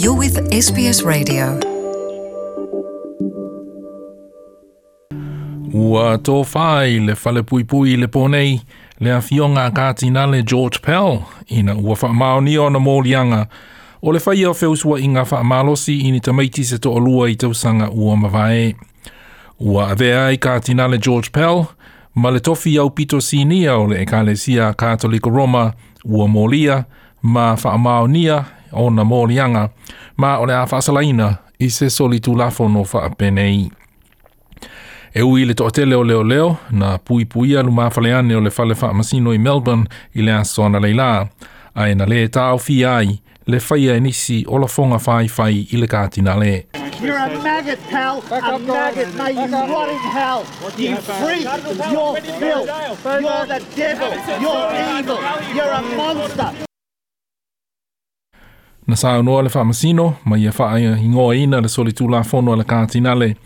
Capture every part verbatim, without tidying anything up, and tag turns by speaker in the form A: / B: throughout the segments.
A: You're with S B S Radio.
B: Ua tofā i le falepuipui i le pō nei le afioga a Katinale George Pell ina ua faamaonia ona moliaga o le faia o feusuaiga faamalosi i ni tamaiti se toalua i tausaga ua mavae. Ua avea ai Katinale George Pell ma le tofi aupito sinia o le Ekalesia Katoliko Roma ua molia ma faamaonia ona moliaga ma o le a faasalaina i se solitulafono faapenei. E ui le toatele o leoleo na puipuia lumafaleane o le fale faamasino i Melbourne i le aso analeila, ae na lē taofia ai le faia e nisi o lafoga faifai i le Katinale.
C: You're a maggot, pal. A maggot. May you rot in hell. You freak. You're filth. You're the devil. You're evil. You're a monster.
B: Na saunoa le faamasino ma ia faaigoaina le solitulafono a le Katinale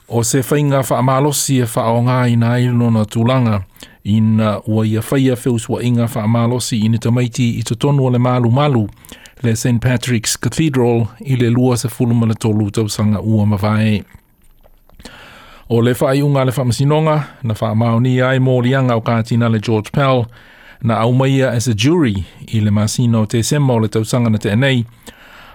B: o se faiga faamalosi e faaaogaina ai lona tulaga ina ua ia faia feusuaiga faamalosi i ni tamaiti i totonu o le malumalu le Saint Patrick's Cathedral i le lua sefulu ma le tolu tausaga ua mavae. O le faaiuga a le faamasinoga na faamaonia ai moliaga o Katinale George Pell na aumaia as a jury i le masina o Tesema o le tausaga na tea nei,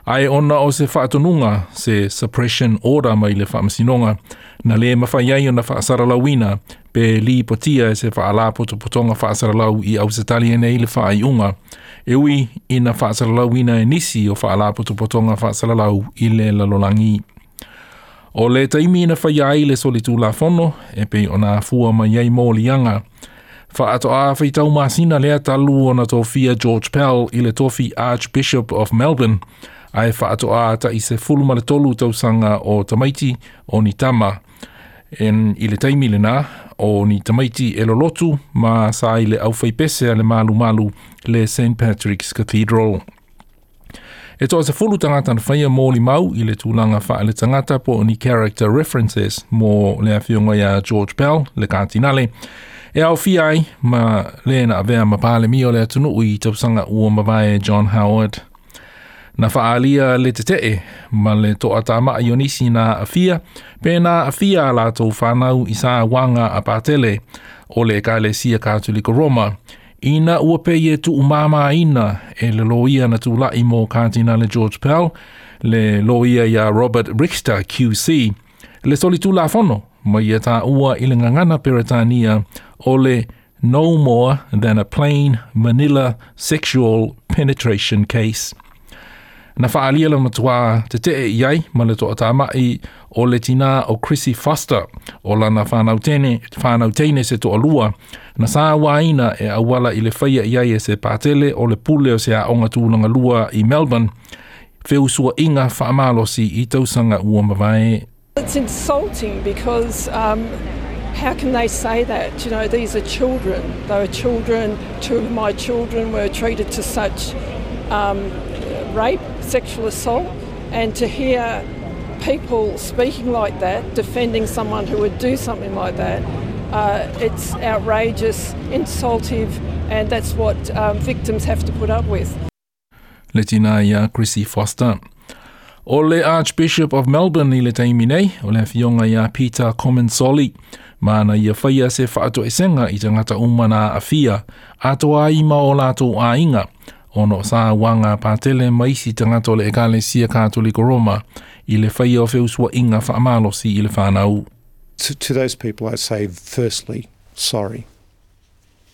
B: ae ona o se faatonuga se suppression order mai le faamasinoga na lē mafai ai ona faasalalauina pe lipotia e se faalapotopotoga faasalalau i Ausetalia nei le faaiuga e ui ina faasalalauina e nisi o faalapotopotoga faasalalau i le lalolagi. O le taimi na faia ai le solitulafono e pei ona afua mai ai moliaga faatoa faitau masina lea talu ona tofia George Pell i le tofi Archbishop of Melbourne, ae faatoa tai sefulu ma le tolu tausaga o tamaiti o ni tama en i le taimi lena o ni tamaiti e lolotu ma sa i le aufaipese a le malumalu le Saint Patrick's Cathedral. E toa sefulu tagata na faia molimau i le tulaga faaletagata po o ni character references mo le afioga iā George Pell, le Katinale, e aofia ai ma le na avea ma Palemia o le atunuu i tausaga ua mavae John Howard. Na faaalia le tetee ma le toatama'i o nisi na aafia pe na aafia a latou fanau i sauaga a patele o le Ekalesia Katoliko Roma ina ua pei e tuumāmāina e le loia na tula'i mo Katinale George Pell, le loia iā Robert Richter Q C, le solitulafono ma ia taua i le gagana Peretania o le no more than a plain vanilla sexual penetration case. Na faaalia le matuā tetee i ai ma le toatama'i o le tinā o Chrissy Foster o lana fanau teine, fanau teine se toalua na sauaina e auala i le faia i ai e se patele o le pule o se aoga tulaga lua i Melbourne feusuaiga faamalosi i tausaga ua mavae.
D: It's insulting because um, how can they say that? You know, these are children. They were children. Two of my children were treated to such um, rape, sexual assault, and to hear people speaking like that, defending someone who would do something like that, uh, it's outrageous, insultive, and that's what um, victims have to put up with.
B: Le tinā iā Chrissy Foster. O le Archbishop of Melbourne i le taimi nei, o le afioga iā Peter Comensoli, ma na ia faia se faatoesega i tagata uma na aafia, atoa ai ma o latou aiga, ona o sauaga patele ma isi tagata o le Ekalesia Katoliko Roma i le faia o feusuaiga faamalosi i le fanau.
E: To, to those people, I say, firstly, sorry.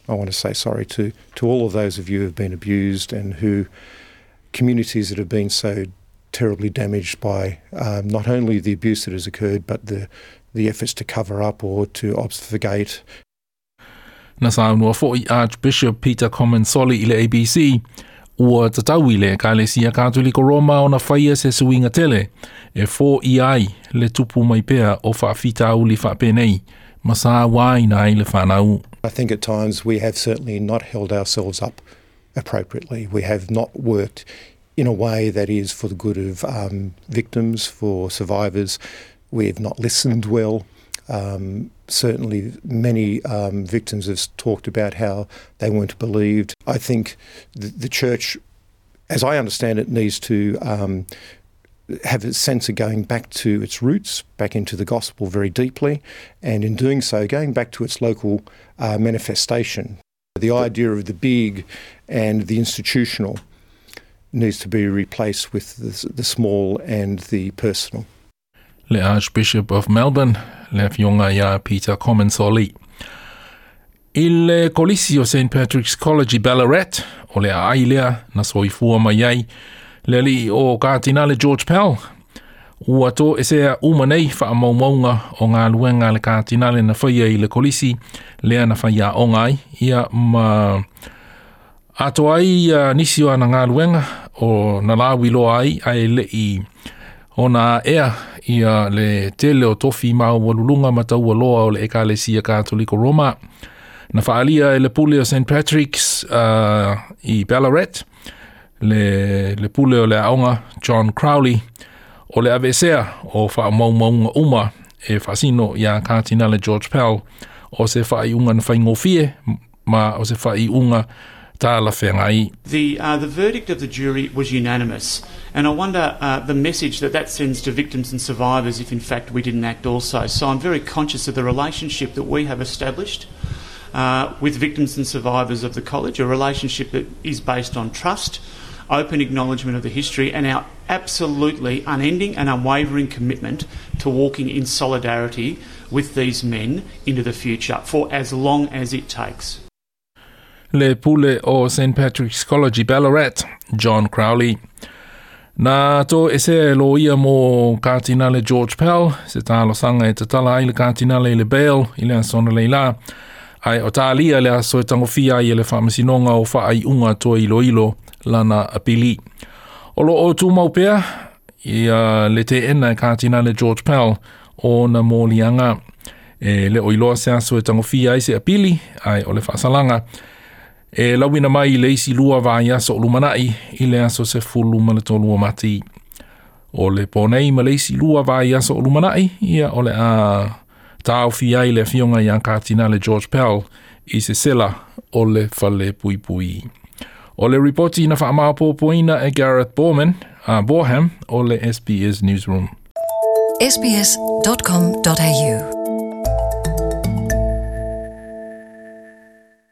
E: I want to say sorry to, to all of those of you who have been abused and who communities that have been so terribly damaged by um, not only the abuse that has occurred, but the, the efforts to cover up or to obfuscate.
B: Na saunoa fo'i Archbishop Peter Comensoli i le A B C, ua tatau i le Ekalesia Katoliko Roma ona faia se suiga tele e foia ai le tupu mai pea o faafitauli faapenei ma sauaina ai le fanau.
E: I think at times we have certainly not held ourselves up appropriately. We have not worked in a way that is for the good of um, victims, for survivors. We have not listened well. Um, certainly, many um, victims have talked about how they weren't believed. I think the, the church as I understand it, needs to um, have a sense of going back to its roots, back into the gospel very deeply, and in doing so, going back to its local uh, manifestation. The idea of the big and the institutional needs to be replaced with the, the small and the personal.
B: Le Archbishop of Melbourne, le afioga ia Peter Comensoli. I le kolisi o Saint Patrick's College i Ballarat, o le aai lea na soifua mai ai, le alii o Katinale George Pell, ua toesea uma nei faamaumauga o galuega a le Katinale na faia i le kolisi lea na faiaoga ai, ia ma atoa ai uh, nisi o ana galuega o na lauiloa ai ae le'i ona ea ia le tele o tofi maualuluga ma taualoa o le Ekalesia Katoliko Roma. Na faaalia e le pule o Saint Patrick's uh, i Ballarat, le, le pule o le aoga John Crowley, o le aveesea o faamaumauga uma e faasino iā Katinale George Pell o se faaiuga na faigofie ma o se faaiuga talafeagai.
F: The, uh, the verdict of the jury was unanimous, and I wonder uh, the message that that sends to victims and survivors if in fact we didn't act also. So I'm very conscious of the relationship that we have established uh, with victims and survivors of the college, a relationship that is based on trust, open acknowledgement of the history, and our absolutely unending and unwavering commitment to walking in solidarity with these men into the future for as long as it takes.
B: Le pule o Saint Patrick's College i Ballarat, John Crowley. Na toesea e loia mo Katinale George Pell, se talosaga e tatala ai le Katinale i le bail i le aso analeila, ae o talia le aso e tagofia ai e le faamasinoga o faaiuga toe iloilo lana apili. O loo tumau pea ia le teena e Katinale George Pell o na moliaga. E le o iloa se aso e tagofia ai se apili, ae o le faasalaga e lauina mai i le isi lua vaiaso o lumanai i le aso sefulu ma le tolu o Mati. O le po nei ma le isi lua vaiaso o lumanai, ia o le a taofia ai le afioga ia Katinale George Pell i se sela o le fale puipui. O le ripoti na faamaopoopoina e Gareth Borman, uh, Boreham o le S B S Newsroom.
A: S B S dot com dot A U.